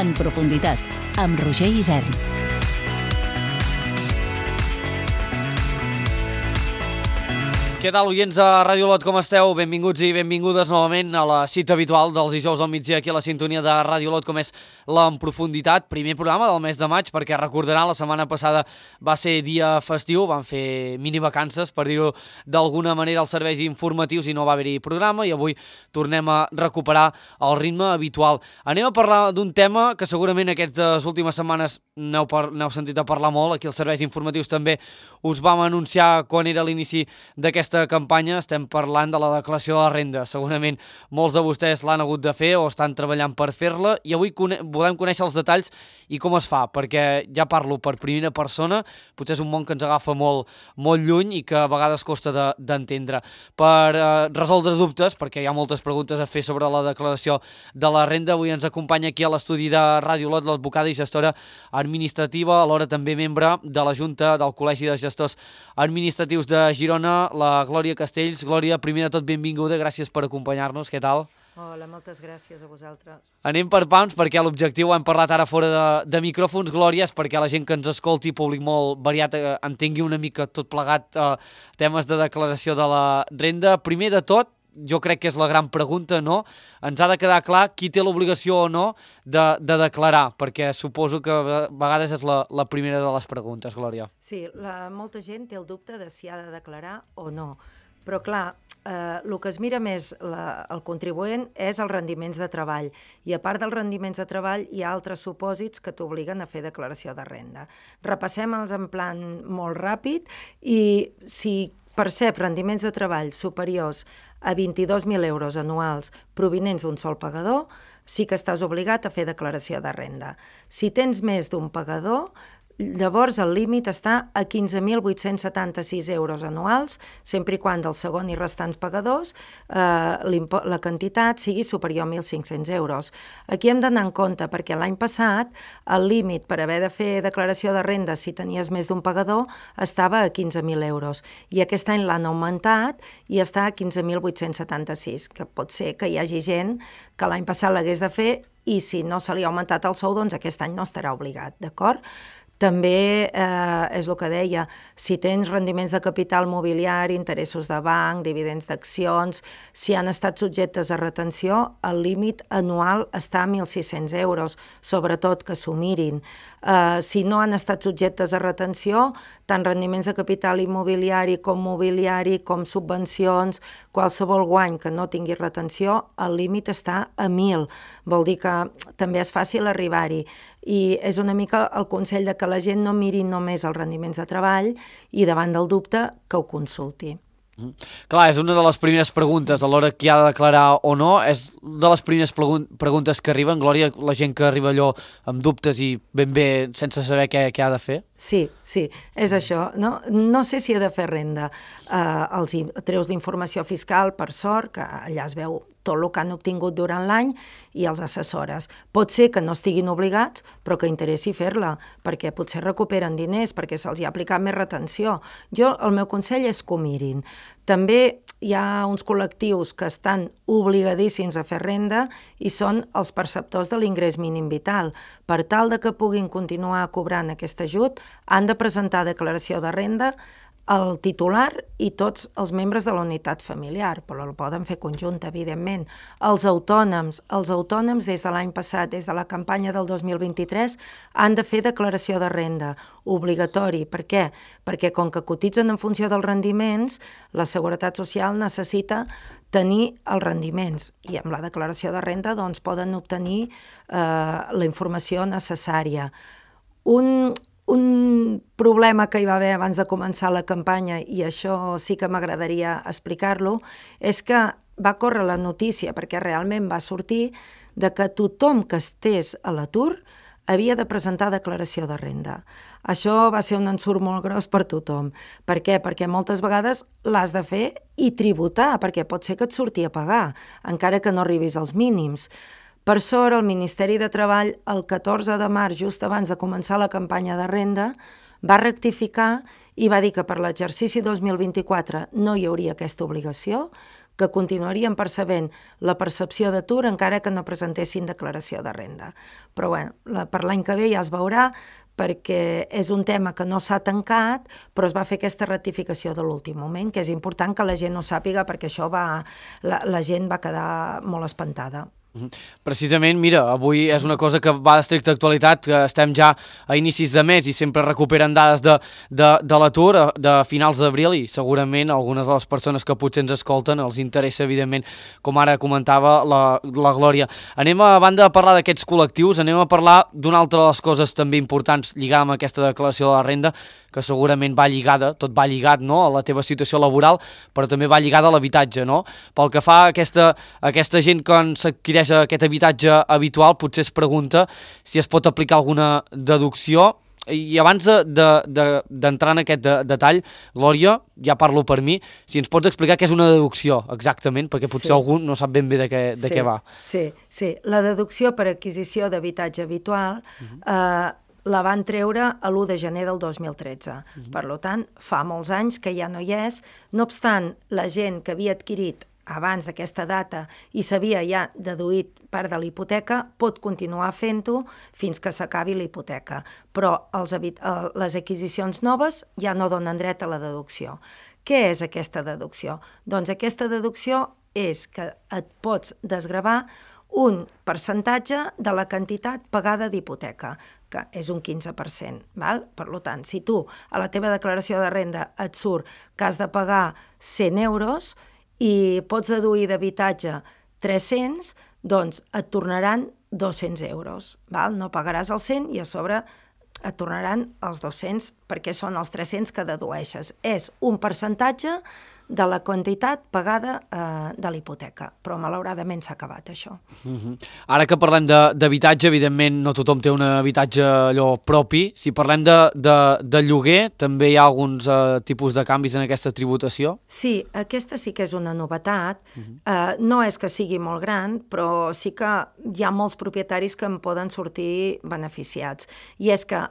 En profunditat, amb Roger Isern. Què tal, oients de Ràdio Olot, com esteu? Benvinguts i benvingudes novament a la cita habitual dels dijous al migdia aquí a la sintonia de Ràdio Olot, com és l'En Profunditat, primer programa del mes de maig, perquè recordaran, la setmana passada va ser dia festiu, van fer mini-vacances, per dir-ho d'alguna manera, els serveis informatius i no va haver-hi programa, i avui tornem a recuperar el ritme habitual. Anem a parlar d'un tema que segurament aquestes últimes setmanes n'heu sentit a parlar molt, aquí els serveis informatius també us vam anunciar quan era l'inici d'aquesta campanya. Estem parlant de la declaració de la renda. Segurament molts de vostès l'han hagut de fer o estan treballant per fer-la, i avui volem conèixer els detalls i com es fa, perquè ja parlo per primera persona, potser és un món que ens agafa molt lluny i que a vegades costa d'entendre. Per resoldre dubtes, perquè hi ha moltes preguntes a fer sobre la declaració de la renda, avui ens acompanya aquí a l'estudi de Ràdio Olot l'advocada i gestora administrativa, alhora també membre de la Junta del Col·legi de Gestors Administratius de Girona, la Glòria Castells. Glòria, primer de tot, benvinguda, gràcies per acompanyar-nos, què tal? Hola, moltes gràcies a vosaltres. Anem per pams, perquè l'objectiu, hem parlat ara fora de micròfons, Glòria, és perquè la gent que ens escolti, públic molt variat, entengui una mica tot plegat temes de declaració de la renda. Primer de tot, jo crec que és la gran pregunta, no? Ens ha de quedar clar qui té l'obligació o no de declarar, perquè suposo que a vegades és la primera de les preguntes, Glòria. Sí, molta gent té el dubte de si ha de declarar o no, però clar, el que es mira més el contribuent és els rendiments de treball, i a part dels rendiments de treball hi ha altres supòsits que t'obliguen a fer declaració de renda. Repassem-los en plan molt ràpid, i si percep rendiments de treball superiors a 22.000 euros anuals provinents d'un sol pagador, sí que estàs obligat a fer declaració de renda. Si tens més d'un pagador, llavors el límit està a 15.876 euros anuals, sempre i quan del segon i restants pagadors la quantitat sigui superior a 1.500 euros. Aquí hem d'anar en compte, perquè l'any passat el límit per haver de fer declaració de renda si tenies més d'un pagador estava a 15.000 euros, i aquest any l'han augmentat i està a 15.876, que pot ser que hi hagi gent que l'any passat l'hagués de fer i si no se li ha augmentat el sou, doncs aquest any no estarà obligat, d'acord? També és el que deia, si tens rendiments de capital mobiliari, interessos de banc, dividends d'accions, si han estat subjectes a retenció, el límit anual està a 1.600 euros, sobretot que s'ho mirin. Si no han estat subjectes a retenció, tant rendiments de capital immobiliari com mobiliari, com subvencions, qualsevol guany que no tingui retenció, el límit està a 1.000. Vol dir que també és fàcil arribar-hi. I és una mica el consell de que la gent no miri només els rendiments de treball i davant del dubte que ho consulti. Clar, és una de les primeres preguntes a l'hora que ha de declarar o no, és de les primeres preguntes que arriben, Glòria, la gent que arriba allò amb dubtes i ben bé sense saber què ha de fer? Sí, és això. No sé si ha de fer renda. Els treus d'informació fiscal, per sort, que allà es veu tot el que han obtingut durant l'any, i els assessores. Pot ser que no estiguin obligats, però que interessi fer-la, perquè potser recuperen diners, perquè se'ls ha aplicat més retenció. El meu consell és que ho mirin. També hi ha uns col·lectius que estan obligadíssims a fer renda i són els perceptors de l'ingrés mínim vital. Per tal de que puguin continuar cobrant aquest ajut, han de presentar declaració de renda el titular i tots els membres de la unitat familiar, però el poden fer conjunt, evidentment. Els autònoms des de l'any passat, des de la campanya del 2023, han de fer declaració de renda, obligatori. Per què? Perquè com que cotitzen en funció dels rendiments, la Seguretat Social necessita tenir els rendiments, i amb la declaració de renda doncs, poden obtenir la informació necessària. Un problema que hi va haver abans de començar la campanya, i això sí que m'agradaria explicar-lo, és que va córrer la notícia, perquè realment va sortir, de que tothom que estés a l'atur havia de presentar declaració de renda. Això va ser un ensurt molt gros per tothom. Per què? Perquè moltes vegades l'has de fer i tributar, perquè pot ser que et surti a pagar, encara que no arribis als mínims. Per sort, el Ministeri de Treball, el 14 de març, just abans de començar la campanya de renda, va rectificar i va dir que per l'exercici 2024 no hi hauria aquesta obligació, que continuarien percebent la percepció d'atur encara que no presentessin declaració de renda. Però bueno, per l'any que ve ja es veurà, perquè és un tema que no s'ha tancat, però es va fer aquesta ratificació de l'últim moment, que és important que la gent ho sàpiga, perquè això la gent va quedar molt espantada. Precisament, mira, avui és una cosa que va d'estricta actualitat, que estem ja a inicis de mes i sempre recuperen dades de l'atur de finals d'abril i segurament algunes de les persones que potser ens escolten els interessa, evidentment, com ara comentava la Glòria. Anem a banda de parlar d'aquests col·lectius, anem a parlar d'una altra de les coses també importants lligada amb aquesta declaració de la renda, que segurament va lligada, tot va lligat, no?, a la teva situació laboral, però també va lligada a l'habitatge, no? Pel que fa a aquesta gent que s'adquireix aquest habitatge habitual, potser es pregunta si es pot aplicar alguna deducció. I abans d'entrar en aquest detall, Glòria, ja parlo per mi, si ens pots explicar què és una deducció exactament, perquè potser algú no sap ben bé de què va. Sí, la deducció per adquisició d'habitatge habitual la van treure a l'1 de gener del 2013. Per tant, fa molts anys que ja no hi és. No obstant, la gent que havia adquirit abans d'aquesta data i s'havia ja deduït part de l'hipoteca pot continuar fent-ho fins que s'acabi l'hipoteca. Però les adquisicions noves ja no donen dret a la deducció. Què és aquesta deducció? Doncs aquesta deducció és que et pots desgravar un percentatge de la quantitat pagada d'hipoteca, que és un 15%. Val? Per tant, si tu a la teva declaració de renda et surt que has de pagar 100 euros i pots deduir d'habitatge 300, doncs et tornaran 200 euros. Val? No pagaràs els 100 i a sobre et tornaran els 200 perquè són els 300 que dedueixes. És un percentatge de la quantitat pagada de l'hipoteca, però malauradament s'ha acabat això. Ara que parlem d'habitatge, evidentment no tothom té un habitatge allò propi. Si parlem de lloguer, també hi ha alguns tipus de canvis en aquesta tributació? Sí, aquesta sí que és una novetat. No és que sigui molt gran, però sí que hi ha molts propietaris que en poden sortir beneficiats. I és que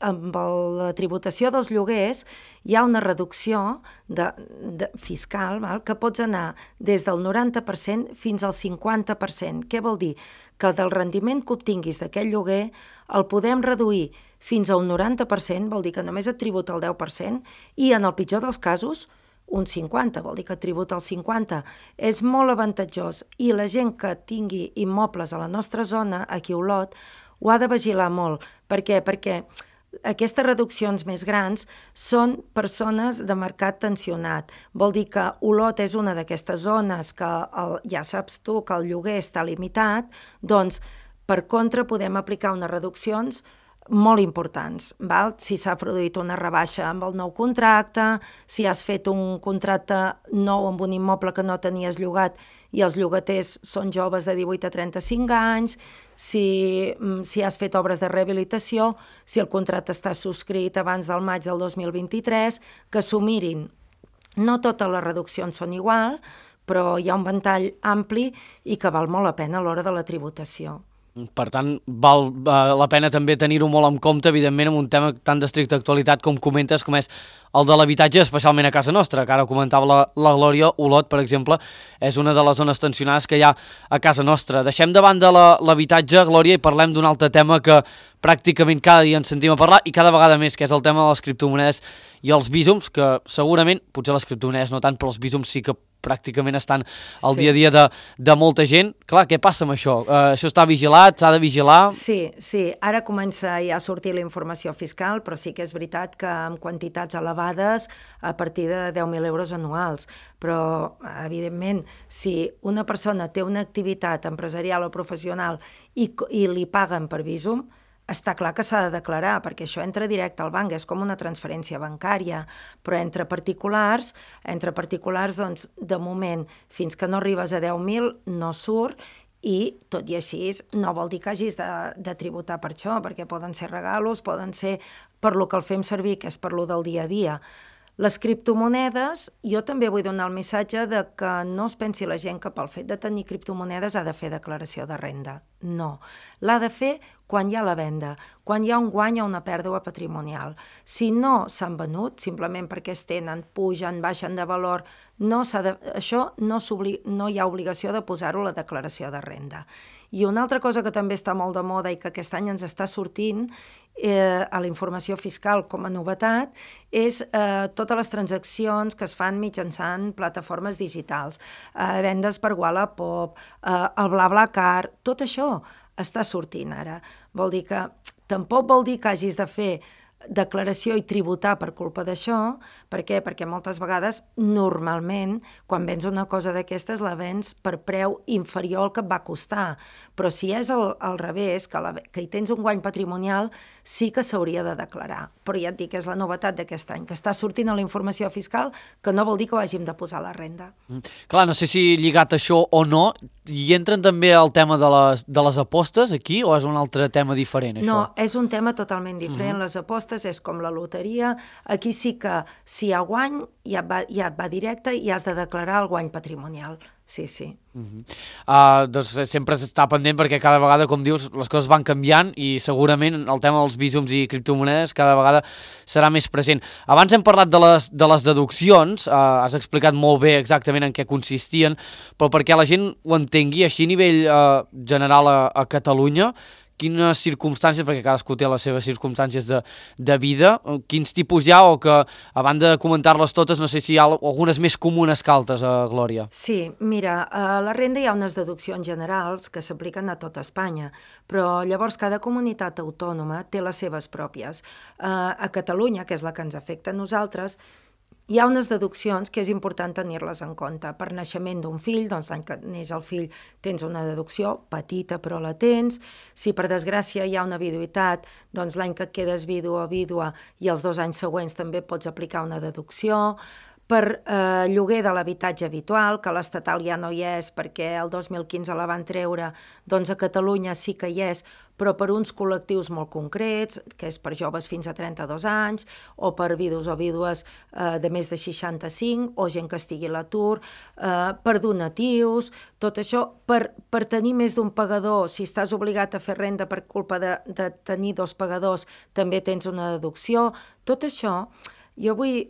amb la tributació dels lloguers hi ha una reducció fiscal, val? Que pots anar des del 90% fins al 50%. Què vol dir? Que del rendiment que obtinguis d'aquest lloguer el podem reduir fins a un 90%, vol dir que només et tributa el 10%, i en el pitjor dels casos un 50%, vol dir que et tributa el 50%. És molt avantatjós i la gent que tingui immobles a la nostra zona, aquí a Olot, ho ha de vigilar molt. Per què? Perquè aquestes reduccions més grans són persones de mercat tensionat. Vol dir que Olot és una d'aquestes zones que ja saps tu que el lloguer està limitat, doncs per contra podem aplicar unes reduccions molt importants. Val? Si s'ha produït una rebaixa amb el nou contracte, si has fet un contracte nou amb un immoble que no tenies llogat i els llogaters són joves de 18 a 35 anys, si has fet obres de rehabilitació, si el contracte està subscrit abans del maig del 2023, que s'ho mirin. No totes les reduccions són igual, però hi ha un ventall ampli i que val molt la pena a l'hora de la tributació. Per tant, val la pena també tenir-ho molt en compte, evidentment, amb un tema tan d'estricta actualitat com comentes, com és el de l'habitatge, especialment a casa nostra, que ara comentava la Glòria. Olot, per exemple, és una de les zones tensionades que hi ha a casa nostra. Deixem de banda l'habitatge, Glòria, i parlem d'un altre tema que pràcticament cada dia ens sentim a parlar, i cada vegada més, que és el tema de les criptomonedes i els bísums, que segurament, potser les criptomonedes no tant, però els bísums sí que pràcticament estan al dia a dia de molta gent. Clar, què passa amb això? Això està vigilat? S'ha de vigilar? Sí. Ara comença ja a sortir la informació fiscal, però sí que és veritat que amb quantitats elevades a partir de 10.000 euros anuals. Però, evidentment, si una persona té una activitat empresarial o professional i li paguen per bísum, està clar que s'ha de declarar, perquè això entra directe al banc, és com una transferència bancària, però entre particulars, doncs, de moment, fins que no arribes a 10.000, no surt, i tot i així no vol dir que hagis de tributar per això, perquè poden ser regalos, poden ser per lo que el fem servir, que és per lo del dia a dia. Les criptomonedes, jo també vull donar el missatge de que no es pensi la gent que pel fet de tenir criptomonedes ha de fer declaració de renda. No. L'ha de fer quan hi ha la venda, quan hi ha un guany o una pèrdua patrimonial. Si no s'han venut, simplement perquè es tenen, pugen, baixen de valor, això no hi ha obligació de posar-ho a la declaració de renda. I una altra cosa que també està molt de moda i que aquest any ens està sortint a la informació fiscal com a novetat és totes les transaccions que es fan mitjançant plataformes digitals, vendes per Wallapop, el BlaBlaCar, tot això està sortint ara. Tampoc vol dir que hagis de fer declaració i tributar per culpa d'això. Per què? Perquè moltes vegades, normalment, quan vens una cosa d'aquestes, la vens per preu inferior al que et va costar. Però si és al revés, que hi tens un guany patrimonial, sí que s'hauria de declarar. Però ja et dic, és la novetat d'aquest any, que està sortint a la informació fiscal, que no vol dir que ho hàgim de posar a la renda. Clar, no sé si lligat això o no, hi entren també el tema de les apostes aquí, o és un altre tema diferent, això? No, és un tema totalment diferent. Les apostes és com la loteria. Aquí sí que si hi ha guany, ja et va directe i has de declarar el guany patrimonial. Sí. Doncs sempre està pendent perquè cada vegada, com dius, les coses van canviant i segurament el tema dels bísums i criptomonedes cada vegada serà més present. Abans hem parlat de les deduccions, has explicat molt bé exactament en què consistien, però perquè la gent ho entengui així a nivell general a Catalunya, quines circumstàncies, perquè cadascú té les seves circumstàncies de vida, quins tipus hi ha, o que, a banda de comentar-les totes, no sé si hi ha algunes més comunes que altres, Glòria. Sí, mira, a la renda hi ha unes deduccions generals que s'apliquen a tota Espanya, però llavors cada comunitat autònoma té les seves pròpies. A Catalunya, que és la que ens afecta a nosaltres, hi ha unes deduccions que és important tenir-les en compte. Per naixement d'un fill, doncs l'any que neix el fill tens una deducció, petita però la tens. Si per desgràcia hi ha una viduïtat, doncs l'any que et quedes vidu o vídua i els 2 anys següents també pots aplicar una deducció. Per lloguer de l'habitatge habitual, que l'estatal ja no hi és perquè el 2015 la van treure, doncs a Catalunya sí que hi és, però per uns col·lectius molt concrets, que és per joves fins a 32 anys, o per vidus o vídues de més de 65, o gent que estigui a l'atur, per donatius, tot això, per tenir més d'un pagador, si estàs obligat a fer renda per culpa de tenir 2 pagadors, també tens una deducció. Tot això jo vull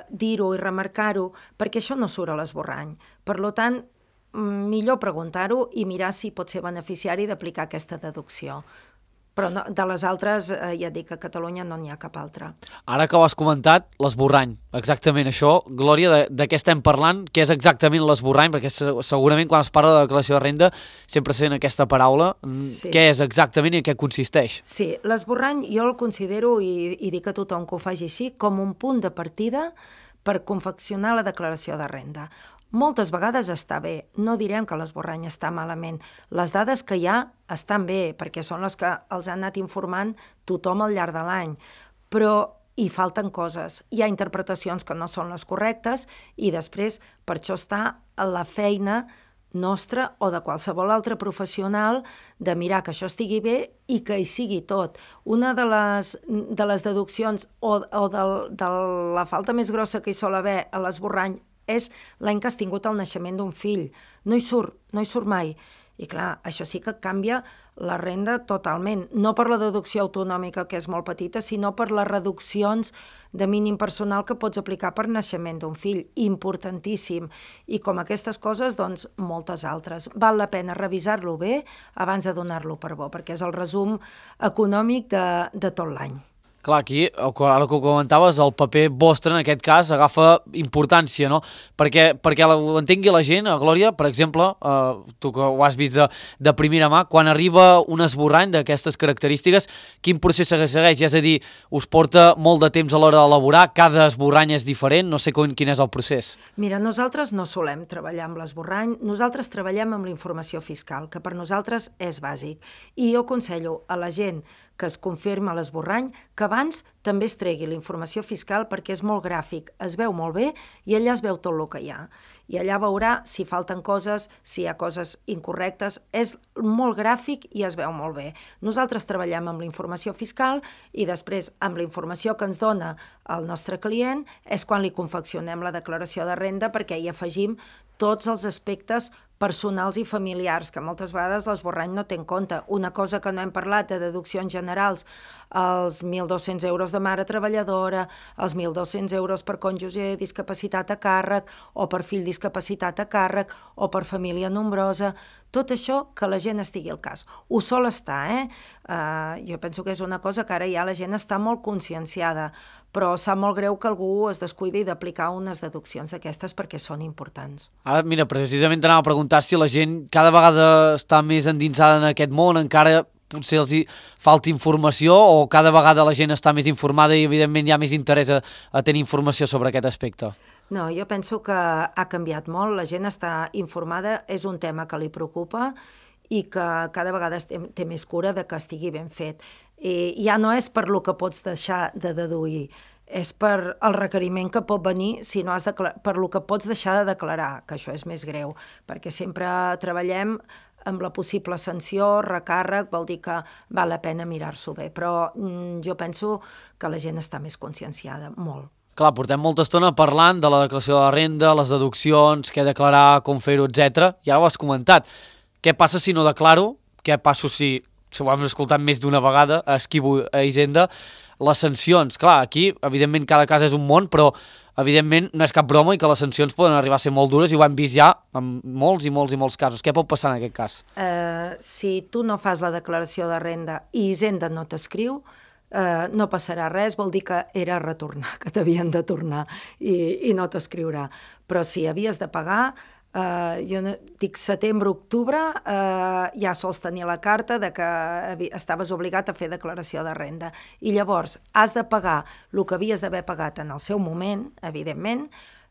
dir-ho i remarcar-ho perquè això no surt a l'esborrany. Per tant, millor preguntar-ho i mirar si pot ser beneficiari d'aplicar aquesta deducció. Però no, de les altres, ja dic que a Catalunya no n'hi ha cap altra. Ara que ho has comentat, l'esborrany, exactament això. Glòria, de què estem parlant? Què és exactament l'esborrany? Perquè segurament quan es parla de declaració de renda sempre sent aquesta paraula. Sí. Què és exactament i en què consisteix? Sí, l'esborrany jo el considero, i dic a tothom que ho faci així, com un punt de partida per confeccionar la declaració de renda. Moltes vegades està bé, no direm que l'esborrany està malament. Les dades que hi ha estan bé, perquè són les que els han anat informant tothom al llarg de l'any, però hi falten coses. Hi ha interpretacions que no són les correctes i després per això està la feina nostra o de qualsevol altre professional de mirar que això estigui bé i que hi sigui tot. Una de les deduccions o de la falta més grossa que hi sol haver a l'esborrany és l'any que has tingut el naixement d'un fill. No hi surt mai. I clar, això sí que canvia la renda totalment. No per la deducció autonòmica, que és molt petita, sinó per les reduccions de mínim personal que pots aplicar per naixement d'un fill. Importantíssim. I com aquestes coses, doncs, moltes altres. Val la pena revisar-lo bé abans de donar-lo per bo, perquè és el resum econòmic de tot l'any. Clar, aquí, ara que ho comentaves, el paper vostre, en aquest cas, agafa importància, no? Perquè ho entengui la gent, Glòria, per exemple, tu que ho has vist de primera mà, quan arriba un esborrany d'aquestes característiques, quin procés segueix? És a dir, us porta molt de temps a l'hora d'elaborar, cada esborrany és diferent, no sé quin és el procés. Mira, nosaltres no solem treballar amb l'esborrany, nosaltres treballem amb la informació fiscal, que per nosaltres és bàsic. I jo aconsello a la gent que es confirma l'esborrany, que abans també es tregui la informació fiscal perquè és molt gràfic, es veu molt bé i allà es veu tot el que hi ha. I allà veurà si falten coses, si hi ha coses incorrectes, és molt gràfic i es veu molt bé. Nosaltres treballem amb la informació fiscal i després amb la informació que ens dona el nostre client és quan li confeccionem la declaració de renda perquè hi afegim tots els aspectes personals i familiars, que moltes vegades l'esborrany no té en compte. Una cosa que no hem parlat de deduccions generals, els 1.200 euros de mare treballadora, els 1.200 euros per cònjuge discapacitat a càrrec, o per fill discapacitat a càrrec, o per família nombrosa, tot això que la gent estigui al cas. Ho sol estar, jo penso que és una cosa que ara ja la gent està molt conscienciada, però sap molt greu que algú es descuidi d'aplicar unes deduccions d'aquestes perquè són importants. Ara, mira, precisament t'anava a preguntar si la gent cada vegada està més endinsada en aquest món, encara potser els hi falta informació, o cada vegada la gent està més informada i evidentment hi ha més interès a tenir informació sobre aquest aspecte? No, jo penso que ha canviat molt, la gent està informada, és un tema que li preocupa i que cada vegada té més cura de que estigui ben fet. I ja no és per lo que pots deixar de deduir, és per el requeriment que pot venir si no has per lo que pots deixar de declarar, que això és més greu, perquè sempre treballem amb la possible sanció, recàrrec, vol dir que val la pena mirar-s'ho bé, però jo penso que la gent està més conscienciada, molt. Clar, portem molta estona parlant de la declaració de la renda, les deduccions, què declarar, com fer-ho, etc. I ara ho has comentat. Què passa si no declaro? Què passa si ho hem escoltat més d'una vegada, esquivo a Hisenda? Les sancions, clar, aquí, evidentment, cada cas és un món, però evidentment no és cap broma i que les sancions poden arribar a ser molt dures i ho hem vist ja en molts i molts casos. Què pot passar en aquest cas? Si tu no fas la declaració de renda i Hisenda no t'escriu, no passarà res, vol dir que era retornar, que t'havien de tornar i no t'escriurà. Però si havies de pagar, jo dic setembre-octubre, ja sols tenia la carta de que estaves obligat a fer declaració de renda. I llavors has de pagar el que havies d'haver pagat en el seu moment, evidentment,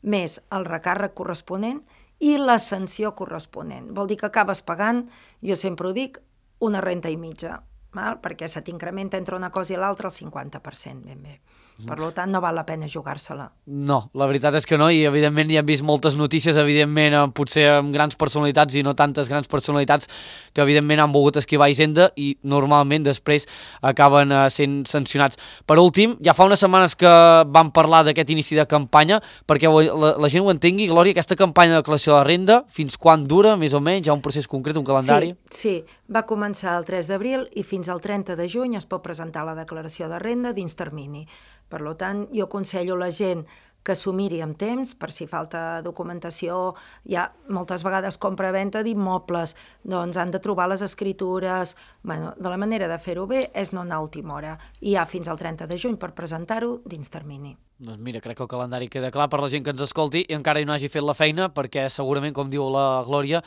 més el recàrrec corresponent i la sanció corresponent. Vol dir que acabes pagant, jo sempre ho dic, una renta i mitja, perquè se t'incrementa entre una cosa i l'altra el 50%, ben bé. Per tant, no val la pena jugar-se-la. No, la veritat és que no, i evidentment hi hem vist moltes notícies, evidentment, potser amb grans personalitats i no tantes grans personalitats que evidentment han volgut esquivar Hisenda i normalment després acaben sent sancionats. Per últim, ja fa unes setmanes que vam parlar d'aquest inici de campanya, perquè la gent ho entengui, Glòria, aquesta campanya de declaració de la renda, fins quan dura, més o menys? Hi ha un procés concret, un calendari? Sí, va començar el 3 d'abril i fins al 30 de juny es pot presentar la declaració de renda dins termini. Per tant, jo aconsello a la gent que s'ho miri amb temps, per si falta documentació, ja moltes vegades compra-venta d'immobles, doncs han de trobar les escritures. Bueno, de la manera de fer-ho bé és no anar a última hora. I hi ha fins al 30 de juny per presentar-ho dins termini. Doncs mira, crec que el calendari queda clar per la gent que ens escolti i encara no hagi fet la feina, perquè segurament, com diu la Glòria,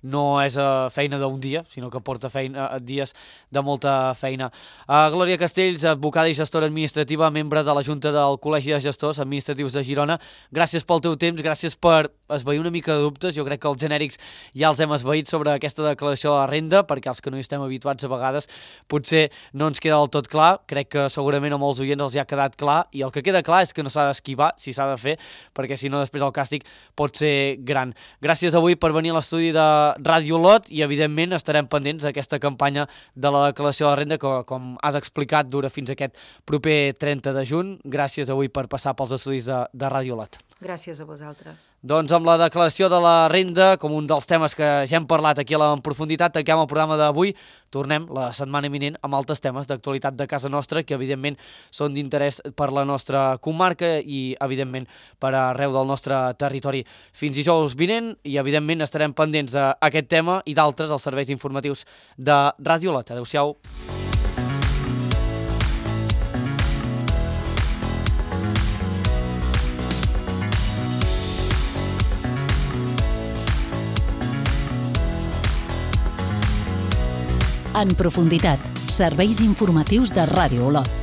no és feina d'un dia, sinó que porta dies de molta feina. Glòria Castells, advocada i gestora administrativa, membre de la Junta del Col·legi de Gestors Administratius de Girona. Gràcies pel teu temps, gràcies per esvair una mica de dubtes. Jo crec que els genèrics ja els hem esvaït sobre aquesta declaració de la renda, perquè els que no hi estem habituats a vegades potser no ens queda del tot clar. Crec que segurament a molts oients els hi ha quedat clar, i el que queda clar és que no s'ha d'esquivar, si s'ha de fer, perquè si no després el càstig pot ser gran. Gràcies avui per venir a l'estudi de Ràdio Olot i evidentment estarem pendents d'aquesta campanya de la declaració de la renda que, com has explicat, dura fins aquest proper 30 de juny. Gràcies avui per passar pels estudis de Ràdio Olot. Gràcies a vosaltres. Doncs amb la declaració de la renda, com un dels temes que ja hem parlat aquí en profunditat, tanquem el programa d'avui. Tornem la setmana eminent amb altres temes d'actualitat de casa nostra que evidentment són d'interès per la nostra comarca i evidentment per arreu del nostre territori. Fins dijous vinent i evidentment estarem pendents d'aquest tema i d'altres als serveis informatius de Ràdio Olot. Adéu-siau. En profunditat, serveis informatius de Ràdio Olot.